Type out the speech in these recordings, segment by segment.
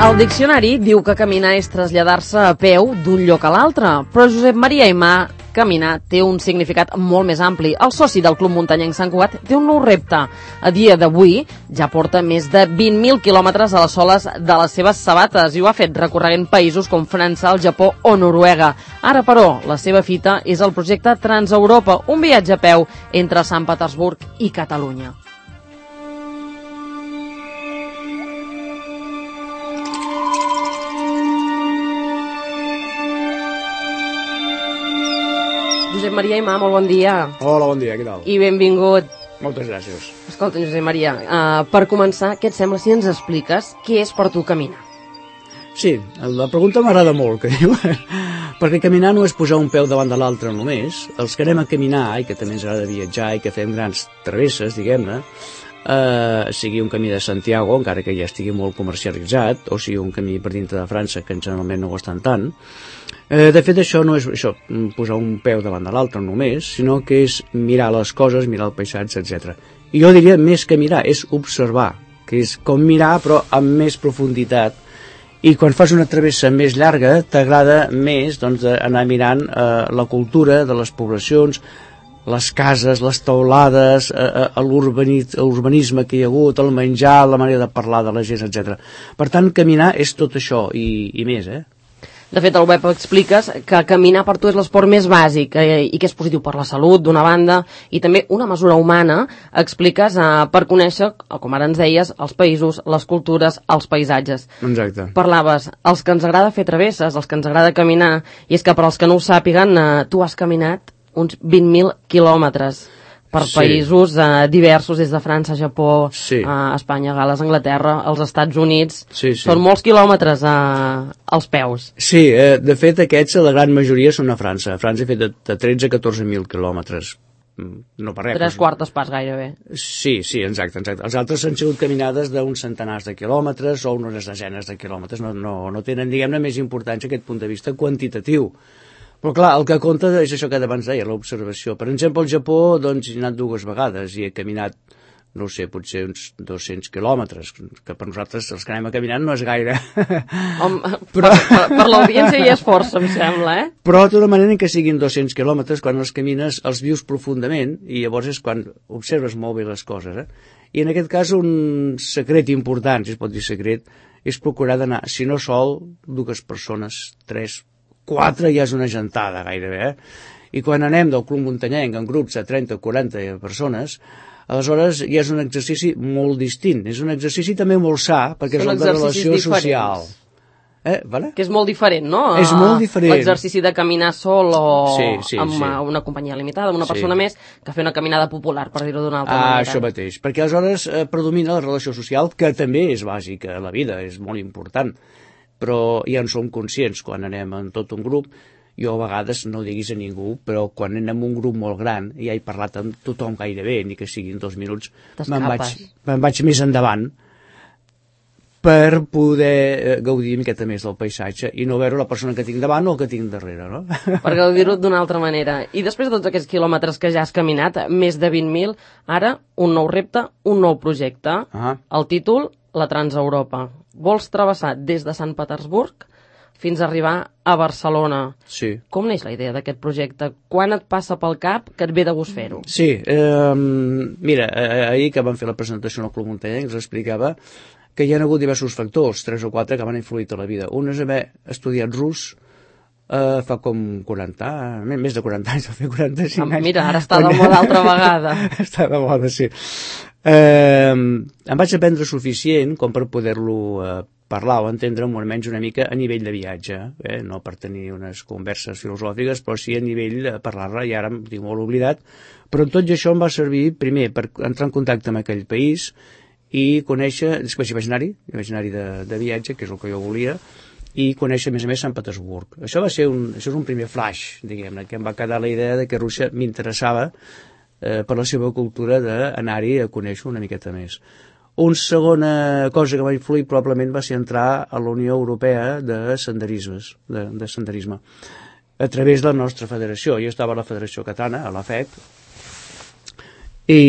El diccionari diu que caminar és traslladar-se a peu d'un lloc a l'altre, però Josep Maria Aimà, caminar té un significat molt més ampli. El soci del Club Muntanyenc Sant Cugat té un nou repte. A dia d'avui ja porta més de 20.000 quilòmetres a les soles de les seves sabates i ho ha fet recorregent països com França, el Japó o Noruega. Ara, però, la seva fita és el projecte Transeuropa, un viatge a peu entre Sant Petersburg i Catalunya. Josep Maria Aimà, molt bon dia. Hola, bon dia, què tal? I benvingut. Moltes gràcies. Escolta, Josep Maria, per començar, què et sembla si ens expliques què és per tu caminar? Sí, la pregunta m'agrada molt, que diu, perquè caminar no és posar un peu davant de l'altre només. Els que anem a caminar i que també ens agrada viatjar i que fem grans travesses, diguem-ne, sigui un camí de Santiago, encara que ja estigui molt comercialitzat, o sigui un camí per dintre de França, que generalment no ho estan tant. De fet, això no és això, posar un peu davant de l'altre només, sinó que és mirar les coses, mirar el paisatge, etc. I jo diria més que mirar, és observar, que és com mirar però amb més profunditat. I quan fas una travessa més llarga t'agrada més doncs, anar mirant la cultura de les poblacions, les cases, les teulades, l'urbanisme que hi ha hagut, el menjar, la manera de parlar de la gent, etc. Per tant, caminar és tot això i més, De fet, al web expliques que caminar per tu és l'esport més bàsic i que és positiu per la salut, d'una banda, i també una mesura humana, expliques per conèixer, com ara ens deies, els països, les cultures, els paisatges. Exacte. Parlaves, els que ens agrada fer travesses, els que ens agrada caminar, i és que per als que no ho sàpiguen, tu has caminat uns 20.000 quilòmetres per països diversos, des de França, Japó, Espanya, Gal·les, Anglaterra, els Estats Units. Són molts quilòmetres als peus. Sí, de fet aquests, la gran majoria són a França. A França he fet de 13 a 14.000 quilòmetres. No per res. 3/4 pas gairebé. Sí, exacte. Els altres han sigut caminades d'uns centenars de quilòmetres o unes desenes de quilòmetres. No tenen, diguem-ne, més importància aquest punt de vista quantitatiu. Però clar, el que compta és això que abans deia, l'observació. Per exemple, al Japó doncs, he anat 2 vegades i he caminat, no sé, potser uns 200 quilòmetres, que per nosaltres els que anem a caminar no és gaire. Per l'audiència hi és força, em sembla, Però de tota manera que siguin 200 quilòmetres, quan els camines els vius profundament i llavors és quan observes molt bé les coses. I en aquest cas un secret important, si es pot dir secret, és procurar d'anar, si no sol, 2 persones, 3, 4 ja és una gentada gairebé, I quan anem del Club Muntanyenc en grups de 30 o 40 persones, aleshores ja és un exercici molt distint, és un exercici també molt sa, perquè és el de relació social. Vale? Que és molt diferent, no? És molt diferent. L'exercici de caminar sol o amb una companyia limitada, amb una persona més, que fer una caminada popular, per dir-ho d'una altra manera. Això mateix, perquè aleshores predomina la relació social, que també és bàsica a la vida, és molt important, però ja en som conscients quan anem en tot un grup. Jo a vegades, no ho diguis a ningú, però quan anem en un grup molt gran, ja he parlat amb tothom gairebé, ni que siguin 2 minuts, me'n vaig més endavant per poder gaudir una miqueta més del paisatge i no veure la persona que tinc davant o que tinc darrere, no? Per gaudir-ho d'una altra manera. I després de tots aquests quilòmetres que ja has caminat, més de 20.000, ara un nou repte, un nou projecte. El títol, la Transeuropa. Vols travessar des de Sant Petersburg fins a arribar a Barcelona. Sí. Com neix la idea d'aquest projecte? Quan et passa pel cap que et ve de gust fer-ho? Sí, mira, ahir que vam fer la presentació al Club Muntanyenc ens explicava que hi ha hagut diversos factors, 3 o 4 que m'han influït a la vida. Un és haver estudiat rus fa com 40, més de 40 anys, va fer 45 anys. Mira, ara està de moda altra vegada. Està de moda, sí. Em vaig aprendre suficient com per poder-lo parlar o entendre almenys una mica a nivell de viatge, no per tenir unes converses filosòfiques, però sí a nivell de parlar-la, i ara em tinc molt oblidat, però tot això em va servir primer per entrar en contacte amb aquell país i conèixer, després hi vaig anar-hi de viatge, que és el que jo volia, i conèixer a més Sant Petersburg. Això és un primer flash, diguem-ne, que em va quedar la idea de que Rússia m'interessava per la seva cultura d'anar-hi a conèixer una miqueta més. Una segona cosa que va influir probablement va ser entrar a la Unió Europea de senderisme. a través de la nostra federació. Jo estava a la Federació Catalana, a la FEC, i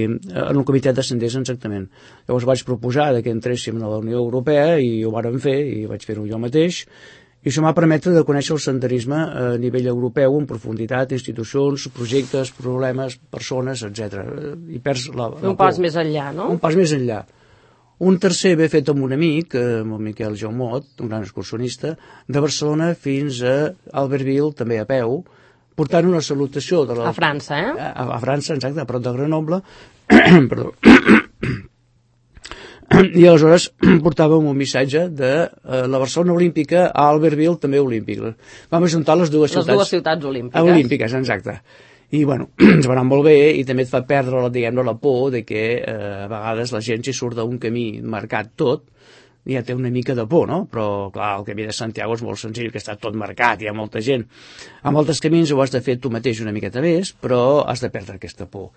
en el comitè de senders exactament. Llavors vaig proposar que entréssim a la Unió Europea i ho vàrem fer, i vaig fer-ho jo mateix, i això m'ha permès de conèixer el senderisme a nivell europeu en profunditat, institucions, projectes, problemes, persones, etc. I perds un pas més enllà, no? Un pas més enllà. Un tercer ve fet amb un amic, amb el Miquel Jaumot, un gran excursionista, de Barcelona fins a Albertville, també a peu, portant una salutació de a França, a França, exacte, a prop de Grenoble. Perdó. I aleshores portàvem un missatge de la Barcelona olímpica a Albertville, també olímpic. Vam ajuntar les dues ciutats olímpiques. Olímpiques, exacte. I, bueno, ens va anar molt bé i també et fa perdre, diguem-ne, la por de que a vegades la gent, si surt d'un camí marcat tot, ja té una mica de por, no? Però, clar, el camí de Santiago és molt senzill, que està tot marcat, hi ha molta gent. A moltes camins ho has de fer tu mateix una miqueta més, però has de perdre aquesta por.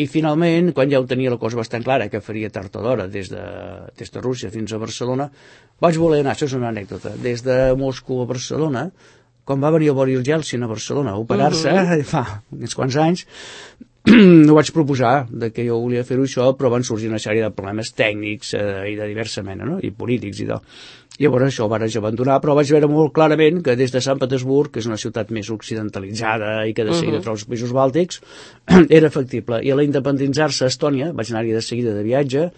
I finalment, quan ja ho tenia la cosa bastant clara, que faria tard o d'hora des de Rússia fins a Barcelona, vaig voler anar, això és una anècdota, des de Moscou a Barcelona, quan va venir el Boris Yeltsin a Barcelona a operar-se, fa uns quants anys, no vaig proposar que jo volia fer-ho això, però van sorgir una sèrie de problemes tècnics i de diversa mena, no? I polítics i tal. Llavors això ho vaig abandonar, però vaig veure molt clarament que des de Sant Petersburg, que és una ciutat més occidentalitzada i que de seguida troba els països bàltics, era factible. I a la independitzar-se a Estònia, vaig anar-hi de seguida de viatge,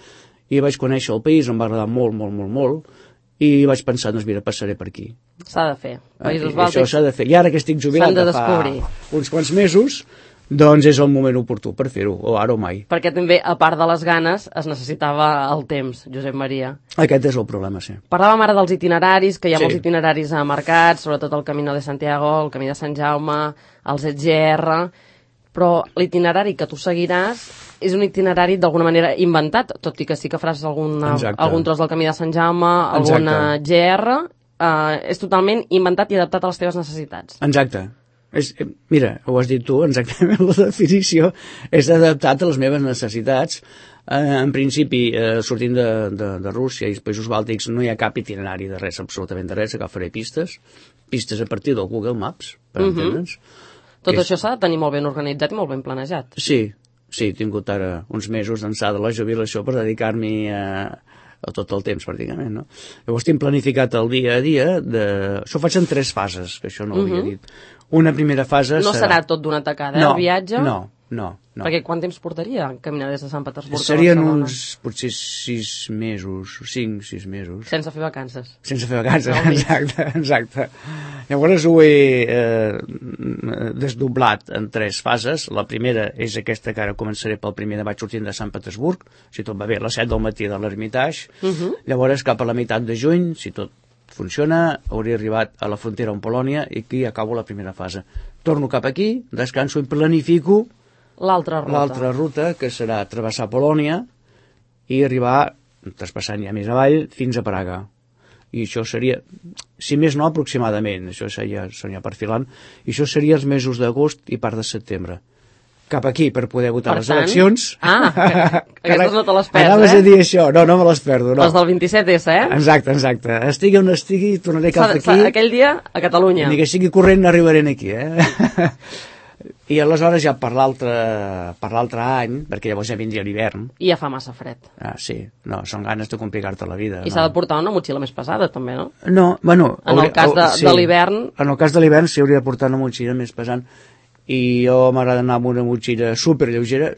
i vaig conèixer el país, em va agradar molt, molt, molt, molt, i vaig pensar, doncs mira, passaré per aquí. S'ha de fer. Països bàltics això s'ha de fer. I ara que estic jubilat de fa uns quants mesos, doncs és el moment oportú per fer-ho, o ara o mai. Perquè també, a part de les ganes, es necessitava el temps, Josep Maria. Aquest és el problema, sí. Parlàvem ara dels itineraris, que hi ha molts itineraris marcats, sobretot el Camino de Santiago, el Camí de Sant Jaume, els EGR, però l'itinerari que tu seguiràs és un itinerari d'alguna manera inventat, tot i que sí que faràs algun tros del Camí de Sant Jaume, alguna GR, és totalment inventat i adaptat a les teves necessitats. Exacte. Mira, ho has dit tu, exactament la definició és adaptat a les meves necessitats. En principi, sortint de Rússia i els països bàltics no hi ha cap itinerari de res, absolutament de res, agafaré pistes a partir del Google Maps, per entendre'ns. Tot això s'ha de tenir molt ben organitzat i molt ben planejat. Sí, he tingut ara uns mesos d'ençà de la jubilació per dedicar-m'hi a tot el temps, pràcticament, no? Llavors tinc planificat el dia a dia, això ho faig en 3 fases, que això no ho havia dit. Una primera fase serà tot d'una tacada, el viatge? No. Perquè quant temps portaria caminar des de Sant Petersburg Serien a Barcelona? Uns, potser 6 mesos, 5-6 mesos. Sense fer vacances. Sense fer vacances, exacte. Llavors ho he desdoblat en 3 fases. La primera és aquesta que ara començaré pel 1 de maig sortint de Sant Petersburg, si tot va bé, a les 7 del matí de l'Ermitage. Llavors cap a la meitat de juny, si tot funciona, hauria arribat a la frontera amb Polònia i aquí acabo la primera fase. Torno cap aquí, descanso i planifico l'altra ruta, que serà travessar Polònia i arribar, traspassant ja més avall, fins a Praga. I això seria, si més no, aproximadament, això seria perfilant, i això seria els mesos d'agost i part de setembre. Cap aquí per poder votar les eleccions. Aquestes no te les perds, Anaves a dir això, no me les perdo. Les del 27S, Exacte. Estigui on estigui, tornaré cap aquí. Aquell dia a Catalunya. Ni que sigui corrent arribaré aquí, I aleshores ja per l'altre any, perquè llavors ja vindria l'hivern. I ja fa massa fred. Sí, no, són ganes de complicar-te la vida. I s'ha de portar una motxilla més pesada, també, no? No, bueno... En el cas de l'hivern... En el cas de l'hivern sí hauria de portar una motxilla més pesant. I jo m'agrada anar amb una motxilla superlleugera,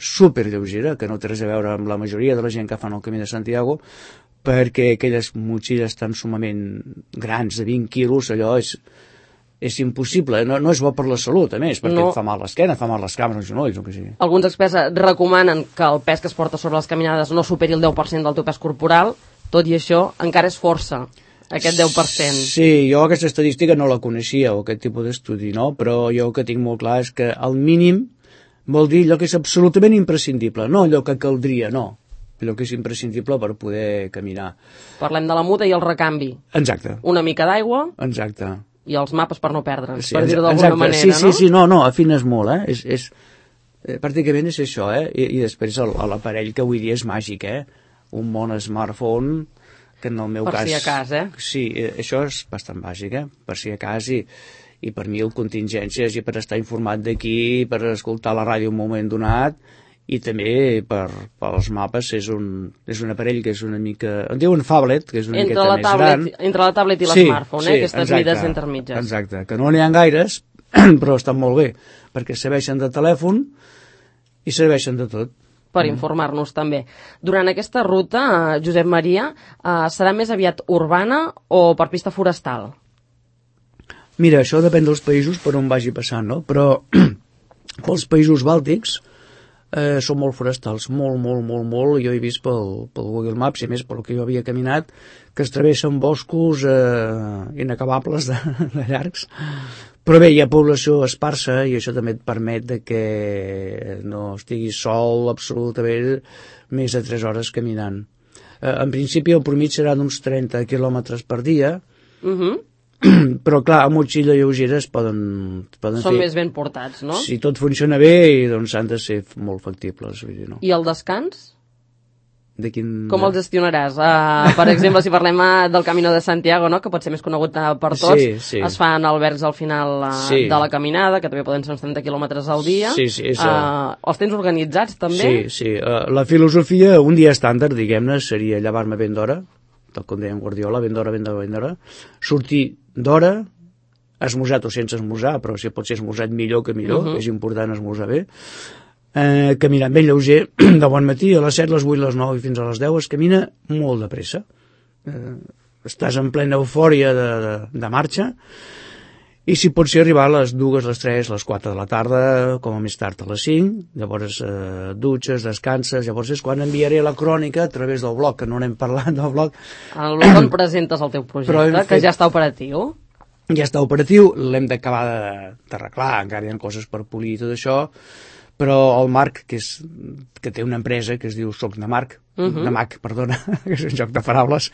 que no té res a veure amb la majoria de la gent que fan el Camí de Santiago, perquè aquelles motxilles tan sumament grans, de 20 quilos, allò és impossible, no és bo per la salut, a més, perquè et fa mal l'esquena, fa mal les cames, els genolls, o que sigui. Alguns experts recomanen que el pes que es porta sobre les caminades no superi el 10% del teu pes corporal, tot i això encara és força. Aquest 10%. Sí, jo aquesta estadística no la coneixia, o aquest tipus d'estudi, no? Però jo el que tinc molt clar és que el mínim vol dir allò que és absolutament imprescindible, no allò que caldria, no. Allò que és imprescindible per poder caminar. Parlem de la muda i el recanvi. Exacte. Una mica d'aigua. Exacte. I els mapes per no perdre'ns, per dir-ho d'alguna manera, no? Sí, no, afines molt, pràcticament és això, I després l'aparell que avui dia és màgic, Un món smartphone que en el meu cas... Per si a cas, Sí, això és bastant bàsic, per si a cas, i i per mil contingències, i per estar informat d'aquí, per escoltar la ràdio un moment donat, i també pels mapes. És un aparell que és una mica... En diuen phablet, que és una miqueta més gran. Entre la tablet i l'smartphone, aquestes mides intermitges. Exacte, que no n'hi ha gaires, però estan molt bé, perquè serveixen de telèfon i serveixen de tot. Per informar-nos també. Durant aquesta ruta, Josep Maria, serà més aviat urbana o per pista forestal? Mira, això depèn dels països per on vagi passant, no? Però pels països bàltics són molt forestals, molt. Jo he vist pel Google Maps, i més pel que jo havia caminat, que es travessen boscos inacabables de llargs. Però bé, hi ha població esparsa, i això també et permet de que no estiguis sol absolutament més de 3 hores caminant. En principi el promís serà d'uns 30 quilòmetres per dia, però clar, a motxilla lleugera es poden Són fer... més ben portats, no? Si tot funciona bé, doncs han de ser molt factibles, vull dir, no? I el descans? De quin... Com el gestionaràs? Per exemple, si parlem del Camino de Santiago, no?, que pot ser més conegut per tots, sí. Es fan albergs al final Sí. de la caminada, que també poden ser uns 30 quilòmetres al dia. Sí, Els tens organitzats, també? Sí. La filosofia, un dia estàndard, diguem-ne, seria llevar-me ben d'hora, tal com deia en Guardiola, ben d'hora, sortir d'hora, esmorzat o sense esmorzar, però si pot ser esmorzat millor que millor, és important esmorzar bé, caminant ben lleuger, de bon matí, a les 7, les 8, les 9 i fins a les 10 es camina molt de pressa. Estàs en plena eufòria de marxa, i si pot ser arribar a les 2, les 3, les 4 de la tarda, com a més tard a les 5, llavors dutxes, descanses, llavors és quan enviaré la crònica a través del blog, que no n'hem parlat del blog. El blog on presentes el teu projecte, que ja està operatiu. Ja està operatiu, l'hem d'acabar d'arreglar, encara hi ha coses per polir i tot això, però el Marc, que té una empresa que es diu Soc de Mac, que és un joc de paraules,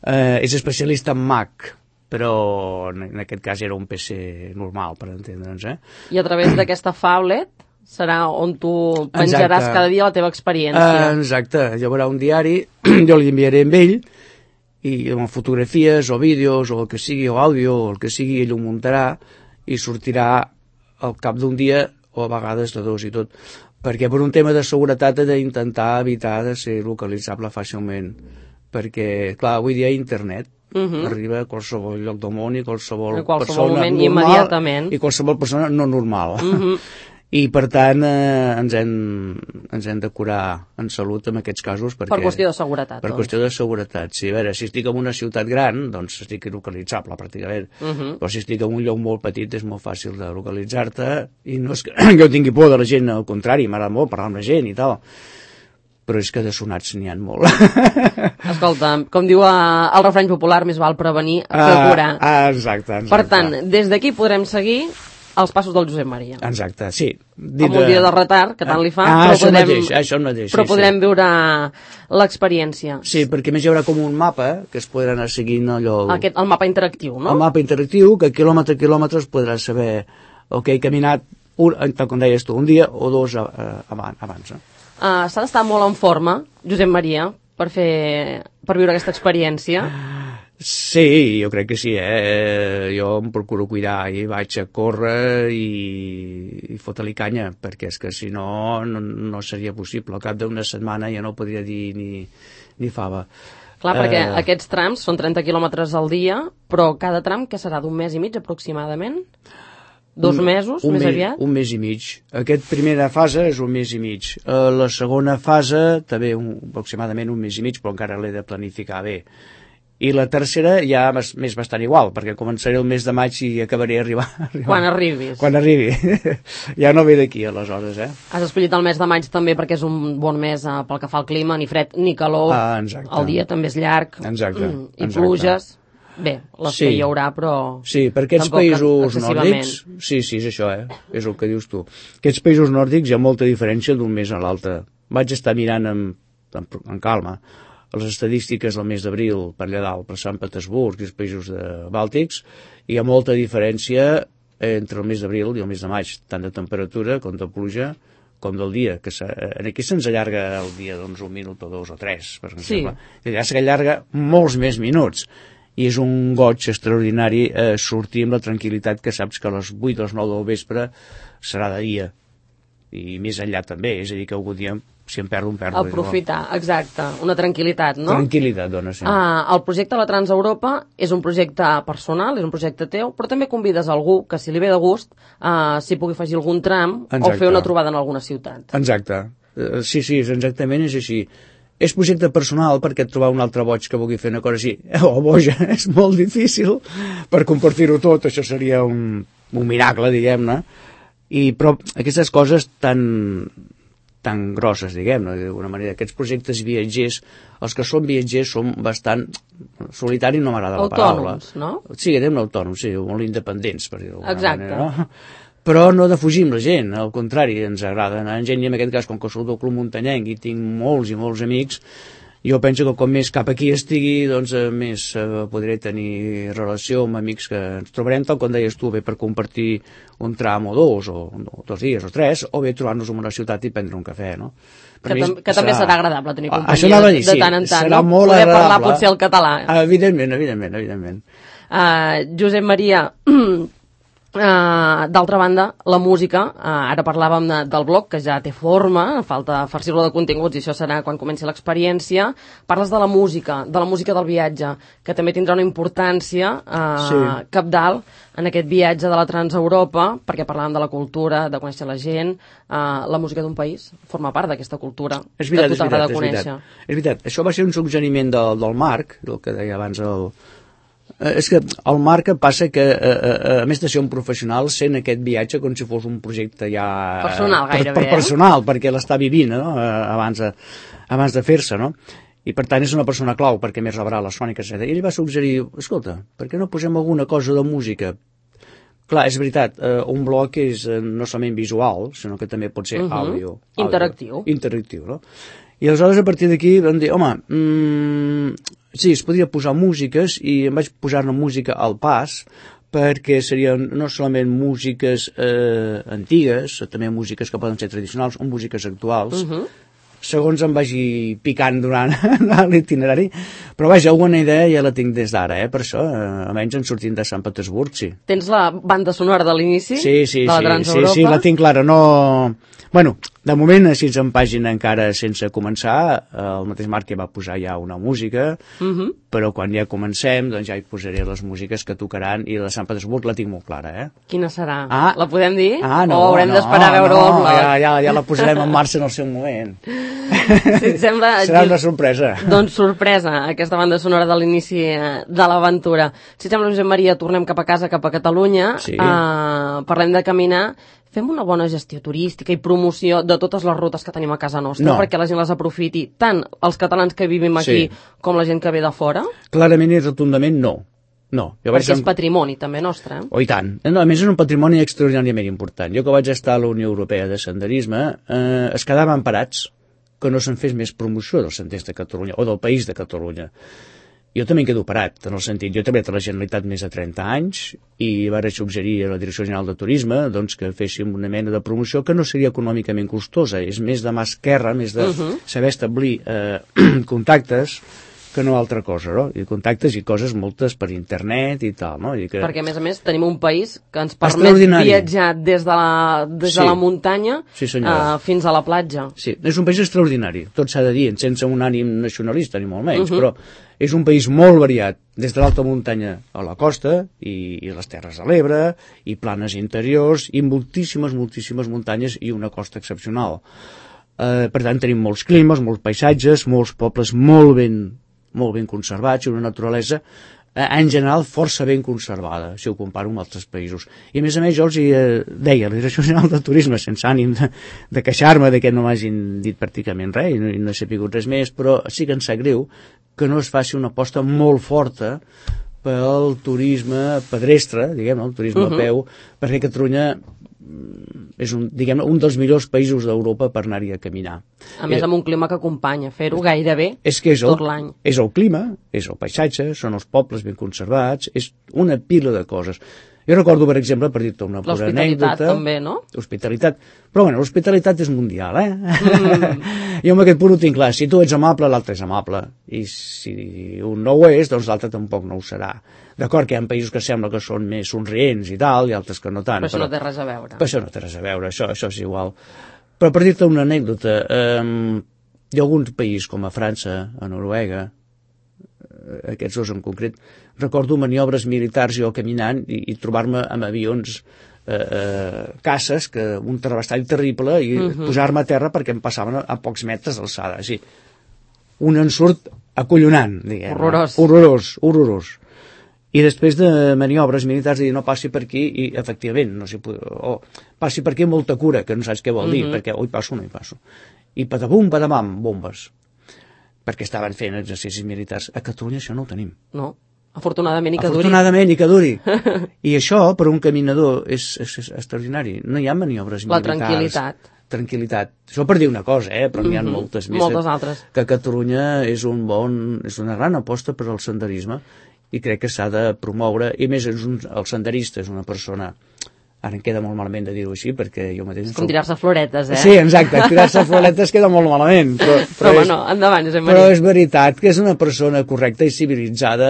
és especialista en Mac, però en aquest cas era un PC normal, per entendre'ns. I a través d'aquesta phablet serà on tu penjaràs cada dia la teva experiència. Exacte, hi haurà un diari, jo li enviaré amb ell, i amb fotografies o vídeos o el que sigui, o àudio o el que sigui, ell ho muntarà i sortirà al cap d'un dia o a vegades de 2 i tot, perquè per un tema de seguretat he d'intentar evitar de ser localitzable fàcilment, perquè clar, avui dia internet arriba a qualsevol lloc del món i qualsevol persona moment, normal immediatament. I qualsevol persona no normal. I per tant ens hem de curar en salut en aquests casos per qüestió de seguretat. Per qüestió de seguretat, sí. A veure, si estic en una ciutat gran, doncs estic localitzable pràcticament, però si estic en un lloc molt petit és molt fàcil de localitzar-te, i no és que jo tingui por de la gent, al contrari, m'agrada molt parlar amb la gent i tal, però és que de sonats n'hi ha molt. Escolta, com diu el refrany popular, més val prevenir que curar. Exacte. Per tant, des d'aquí podrem seguir els passos del Josep Maria. Exacte, sí. Amb un dia de retard, que tant li fa, això mateix, però podrem veure l'experiència. Sí, perquè més hi haurà com un mapa que es podrà anar seguint allò... El mapa interactiu, no? El mapa interactiu, que quilòmetre a quilòmetre podràs saber he caminat, tal com deies tu, un dia o 2 abans. S'ha d'estar molt en forma, Josep Maria, per viure aquesta experiència. Sí, jo crec que sí, jo em procuro cuidar i vaig a córrer i fotre-li canya, perquè és que si no seria possible. Al cap d'una setmana ja no podria dir ni fava. Clar, perquè aquests trams són 30 quilòmetres al dia, però cada tram que serà d'un mes i mig aproximadament? 2 mesos, més aviat? Un mes i mig. Aquesta primera fase és un mes i mig. La segona fase també aproximadament un mes i mig, però encara l'he de planificar bé. I la tercera ja m'és bastant igual, perquè començaré el mes de maig i acabaré arribant. Quan arribis. Quan arribi. Ja no ve d'aquí, aleshores, Has escollit el mes de maig també perquè és un bon mes pel que fa al clima, ni fred ni calor. Exacte. El dia també és llarg. Exacte. I pluges. Bé, les que hi haurà, però... Sí, per aquests països nòrdics... Sí, és això, és el que dius tu. Aquests països nòrdics hi ha molta diferència d'un mes a l'altre. Vaig estar mirant amb calma les estadístiques del mes d'abril per allà dalt, per Sant Petersburg i els països bàltics, hi ha molta diferència entre el mes d'abril i el mes de maig, tant de temperatura com de pluja, com del dia, que aquí se'ns allarga el dia un minut o 2 o 3, per exemple. Allà s'allarga molts més minuts, i és un goig extraordinari sortir amb la tranquil·litat que saps que a les 8 o les 9 del vespre serà de dia, i més enllà també, és a dir, que algun dia si em perdo, em perdo. Aprofitar, exacte, una tranquil·litat, no? Tranquil·litat, dona, sí. El projecte La Transeuropa és un projecte personal, és un projecte teu, però també convides algú que, si li ve de gust, s'hi pugui afegir algun tram o fer una trobada en alguna ciutat. Exacte. Sí, exactament és així. És projecte personal perquè trobar un altre boig que vulgui fer una cosa així, o boja, és molt difícil per compartir-ho tot, això seria un miracle, diguem-ne, però aquestes coses tan grosses, diguem-ne, d'alguna manera. Aquests projectes viatgers, els que són viatgers són bastant solitaris, no m'agrada la paraula. Autònoms, no? Sí, anem autònoms, sí, molt independents, per dir-ho d'alguna manera, no? Exacte. Però no defugim la gent, al contrari, ens agrada anar en gent, i en aquest cas, com que soc del Club Muntanyenc i tinc molts i molts amics, jo penso que com més cap aquí estigui, doncs més podré tenir relació amb amics que ens trobarem, tal com deies tu, bé per compartir un tram o dos, o 2 dies o 3, o bé trobar-nos en una ciutat i prendre un cafè, no? Que també serà agradable tenir companyia de tant en tant, serà no? Molt poder agradable. Parlar potser el català. Evidentment. Josep Maria, d'altra banda, la música, ara parlàvem del blog, que ja té forma, falta farcir-lo de continguts, i això serà quan comenci l'experiència. Parles de la música del viatge, que també tindrà una importància cabdal en aquest viatge de la Transeuropa, perquè parlàvem de la cultura, de conèixer la gent, la música d'un país forma part d'aquesta cultura que a tu t'agrada conèixer. És veritat, això va ser un suggeriment del Marc, el que deia abans és que el Marc passa que, a més de ser un professional, sent aquest viatge com si fos un projecte ja... Personal, gairebé, personal, perquè l'està vivint, no? abans de fer-se, no? I per tant és una persona clau, perquè més rebrà les sòniques, etc. I ell va suggerir, escolta, per què no posem alguna cosa de música? Clar, és veritat, un blog és no solament visual, sinó que també pot ser àudio. Interactiu, no? I aleshores, a partir d'aquí, vam dir, home, sí, es podria posar músiques, i em vaig posar-ne música al pas, perquè serien no solament músiques antigues, també músiques que poden ser tradicionals, o músiques actuals, segons em vagi picant durant l'itinerari, però vaja, alguna idea ja la tinc des d'ara, per això, almenys en sortint de Sant Petersburg, sí. Tens la banda sonora de l'inici de la Transeuropa? Sí, la tinc clara, no... Bueno, de moment, així en pàgina encara sense començar, el mateix Marc ja va posar ja una música, però quan ja comencem, doncs ja hi posaré les músiques que tocaran, i la de Sant Petersburg la tinc molt clara, Quina serà? La podem dir? No, o haurem d'esperar a veure-ho al blog? Ja la posarem en marxa en el seu moment. Si et sembla... Serà una sorpresa. Doncs sorpresa, aquesta banda sonora de l'inici de l'aventura. Si et sembla, Josep Maria, tornem cap a casa, cap a Catalunya, parlem de caminar. Fem una bona gestió turística i promoció de totes les rutes que tenim a casa nostra, perquè la gent les aprofiti, tant els catalans que vivim aquí com la gent que ve de fora? Clarament i rotundament no. Perquè és patrimoni també nostre. I tant. A més, és un patrimoni extraordinàriament important. Jo que vaig estar a la Unió Europea de Senderisme, es quedaven parats que no se'n fes més promoció dels senders de Catalunya o del país de Catalunya. Jo també em quedo parat, en el sentit, jo he treballat a la Generalitat més de 30 anys i vaig suggerir a la Direcció General de Turisme doncs, que féssim una mena de promoció que no seria econòmicament costosa, és més de mà esquerra, més de saber establir contactes que no altra cosa, no? I contactes i coses moltes per internet i tal, no? Perquè, a més, tenim un país que ens permet viatjar des de la muntanya fins a la platja. Sí, és un país extraordinari, tot s'ha de dir, sense un ànim nacionalista, ni molt menys, però és un país molt variat, des de l'alta muntanya a la costa, i les Terres de l'Ebre, i planes interiors, i moltíssimes muntanyes i una costa excepcional. Per tant, tenim molts climes, molts paisatges, molts pobles molt ben conservats, i una naturalesa en general força ben conservada, si ho comparo amb altres països. I a més, jo els deia, la Direcció General de Turisme, sense ànim de queixar-me de que no m'hagin dit pràcticament res, i no he sabut res més, però sí que em sap greu que no es faci una aposta molt forta pel turisme pedestre, diguem, el turisme a peu, perquè Catalunya és un dels millors països d'Europa per anar-hi a caminar. A més, amb un clima que acompanya, fer-ho gairebé tot l'any. És el clima, és el paisatge, són els pobles ben conservats, és una pila de coses. Jo recordo, per exemple, per dir-te una pura anècdota... L'hospitalitat també, no? Hospitalitat. Però bueno, l'hospitalitat és mundial, Jo amb aquest punt ho tinc clar. Si tu ets amable, l'altre és amable. I si un no ho és, doncs l'altre tampoc no ho serà. D'acord que hi ha països que sembla que són més somrients i tal, i altres que no tant. Però això no té res a veure. Però això no té res a veure, això és igual. Però per dir-te una anècdota, hi ha algun país com a França, a Noruega, aquests dos en concret, recordo maniobres militars jo caminant i trobar-me amb avions caces, que un terrabastall terrible, i posar-me a terra perquè em passaven a pocs metres d'alçada. Així, un ensurt acollonant, diguem. Horrorós. I després de maniobres militars de dir no passi per aquí, i efectivament passi per aquí amb molta cura, que no saps què vol dir, perquè o hi passo o no hi passo. I patapum, patapam, bombes. Perquè estaven fent exercicis militars. A Catalunya això no ho tenim. No, afortunadament i que duri. Afortunadament i que duri. I això, per un caminador, és extraordinari. No hi ha maniobres militars. Tranquil·litat. Això per dir una cosa, però n'hi ha moltes més. Moltes altres. Que Catalunya és una gran aposta per al senderisme i crec que s'ha de promoure. I més, el senderista és una persona... Ara em queda molt malament de dir-ho així, perquè jo mateix... És com tirar-se floretes, Sí, exacte, tirar-se floretes queda molt malament. Però bueno, endavant, Josep Maria. Però és veritat que és una persona correcta i civilitzada,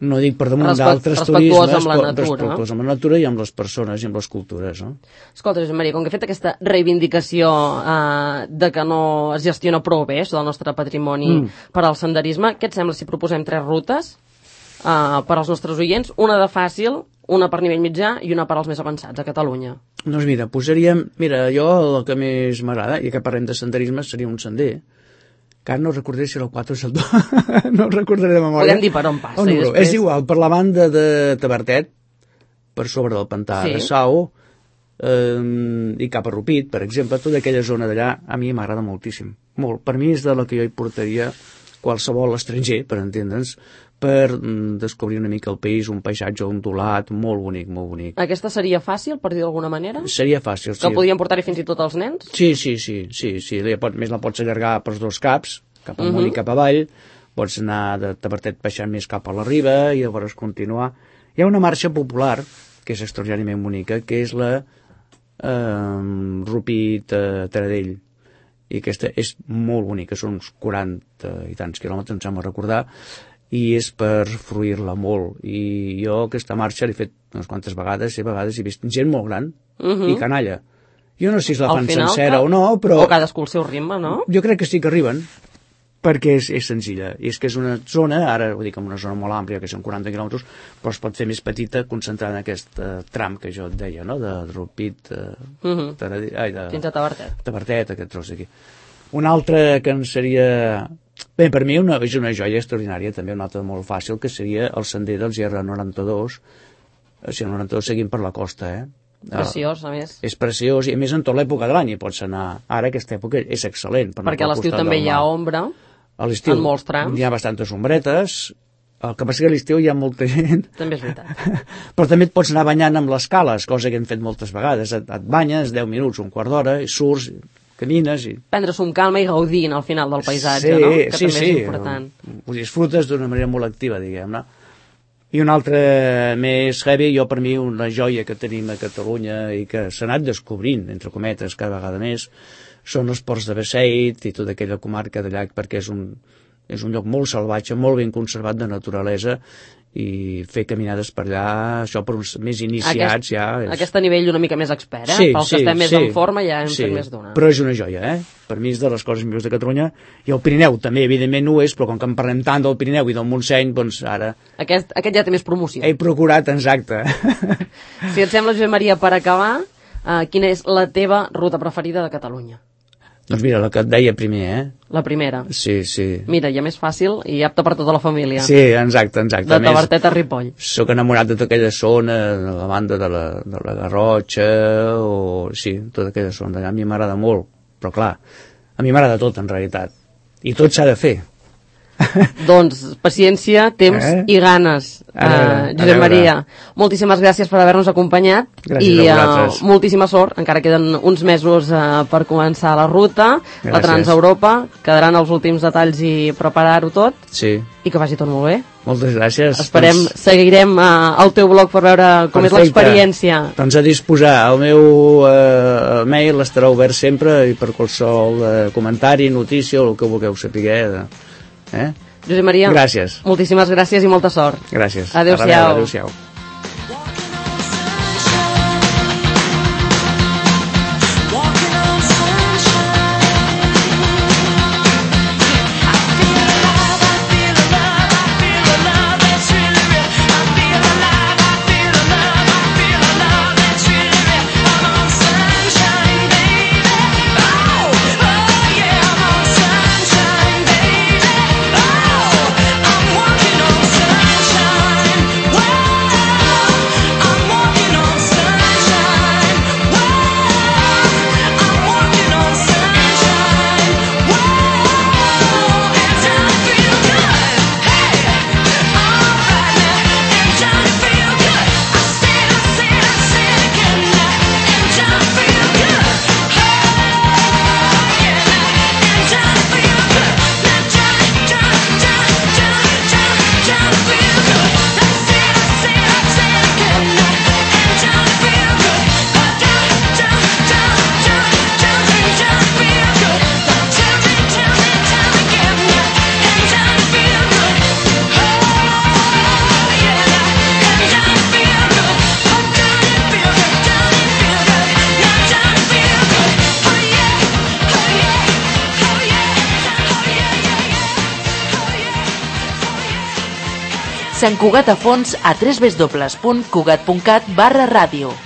no dic per damunt d'altres turismes, respectuosa amb la natura i amb les persones i amb les cultures. No? Escolta, Josep Maria, com que he fet aquesta reivindicació de que no es gestiona prou bé això del nostre patrimoni per al senderisme, què et sembla si proposem 3 rutes per als nostres oients, una de fàcil, una per nivell mitjà i una per als més avançats a Catalunya? Doncs mira, jo el que més m'agrada, i que parlem de senderisme, seria un sender, que ara no recordaré si era el 4 o si el 2, no el recordaré de memòria. Podem dir per on passa. És igual, per la banda de Tavertet, per sobre del pantà de Sau, i cap a Rupit, per exemple, tota aquella zona d'allà, a mi m'agrada moltíssim. Molt. Per mi és de la que jo hi portaria qualsevol estranger, per entendre'ns, per descobrir una mica el país, un paisatge ondulat, molt bonic, molt bonic. Aquesta seria fàcil, per dir d'alguna manera? Seria fàcil, sí. Que podien portar-hi fins i tot els nens? Sí. Més la pots allargar pels 2 caps, cap amunt i cap avall, pots anar de Tavertet baixant més cap a la riba i llavors continuar. Hi ha una marxa popular, que és extraordinàriament bonica, que és la Rupit-Taradell, i aquesta és molt bonica, són uns 40 i tants quilòmetres, em sembla recordar, i és per fruir-la molt. I jo aquesta marxa l'he fet unes quantes vegades, i a vegades he vist gent molt gran i canalla. Jo no sé si la fan sencera o no, però... O cadascú el seu ritme, no? Jo crec que sí que arriben, perquè és senzilla. I és que és una zona, ara ho dic, una zona molt àmplia, que són 40 quilòmetres, però es pot fer més petita concentrada en aquest tram que jo et deia, no?, de Rupit... fins a Tavertet. Tavertet, aquest tros d'aquí. Un altre que en seria... Bé, per mi és una joia extraordinària, també una altra molt fàcil, que seria el sender dels GR92, o sigui, el 92 seguint per la costa, Preciós, a més. És preciós, i a més en tota l'època de l'any hi pots anar. Ara aquesta època és excel·lent. Perquè a l'estiu també hi ha ombra, en molts trams. Hi ha bastantes ombretes, el que passa que a l'estiu hi ha molta gent. També és veritat. Però també et pots anar banyant amb les cales, cosa que hem fet moltes vegades. Et banyes 10 minuts, un quart d'hora, i surts, camines... Prendre-s'ho amb calma i gaudint al final del paisatge, no? Que també és important. Ho disfrutes d'una manera molt activa, diguem-ne. I un altre més heavy, per mi, una joia que tenim a Catalunya i que s'ha anat descobrint, entre cometes, cada vegada més, són els ports de Beseit i tota aquella comarca de llac, perquè és un lloc molt salvatge, molt ben conservat de naturalesa, i fer caminades per allà, això per uns més iniciats ja... Aquest nivell una mica més expert, pels que estem més en forma ja hem fet més d'una. Però és una joia, Per mi és de les coses millors de Catalunya, i el Pirineu també, evidentment, ho és, però com que en parlem tant del Pirineu i del Montseny, doncs ara... Aquest ja té més promoció. He procurat, exacte. Si et sembla, Josep Maria, per acabar, quina és la teva ruta preferida de Catalunya? Doncs mira, la que et deia primer, La primera? Sí. Mira, ja més fàcil i apta per tota la família. Sí, exacte. De Tavertet a Ripoll. Soc enamorat de tota aquella zona, de la banda de la Garrotxa, tota aquella zona d'allà. A mi m'agrada molt, però clar, a mi m'agrada tot, en realitat. I tot s'ha de fer. Doncs paciència, temps i ganes, Josep Maria. Moltíssimes gràcies per haver-nos acompanyat. Gràcies a vosaltres. Moltíssima sort. Encara queden uns mesos per començar la ruta, la Transeuropa. Quedaran els últims detalls i preparar-ho tot. Sí. I que vagi tot molt bé. Moltes gràcies. Seguirem al teu blog per veure com és l'experiència. Doncs a disposar, el meu mail estarà obert sempre i per qualsevol comentari, notícia o el que vulgueu saber. Josep Maria, gràcies. Moltíssimes gràcies i molta sort. Gràcies. Adéu-siau. Adéu-siau. Sant Cugat a fons a www.cugat.cat/ràdio.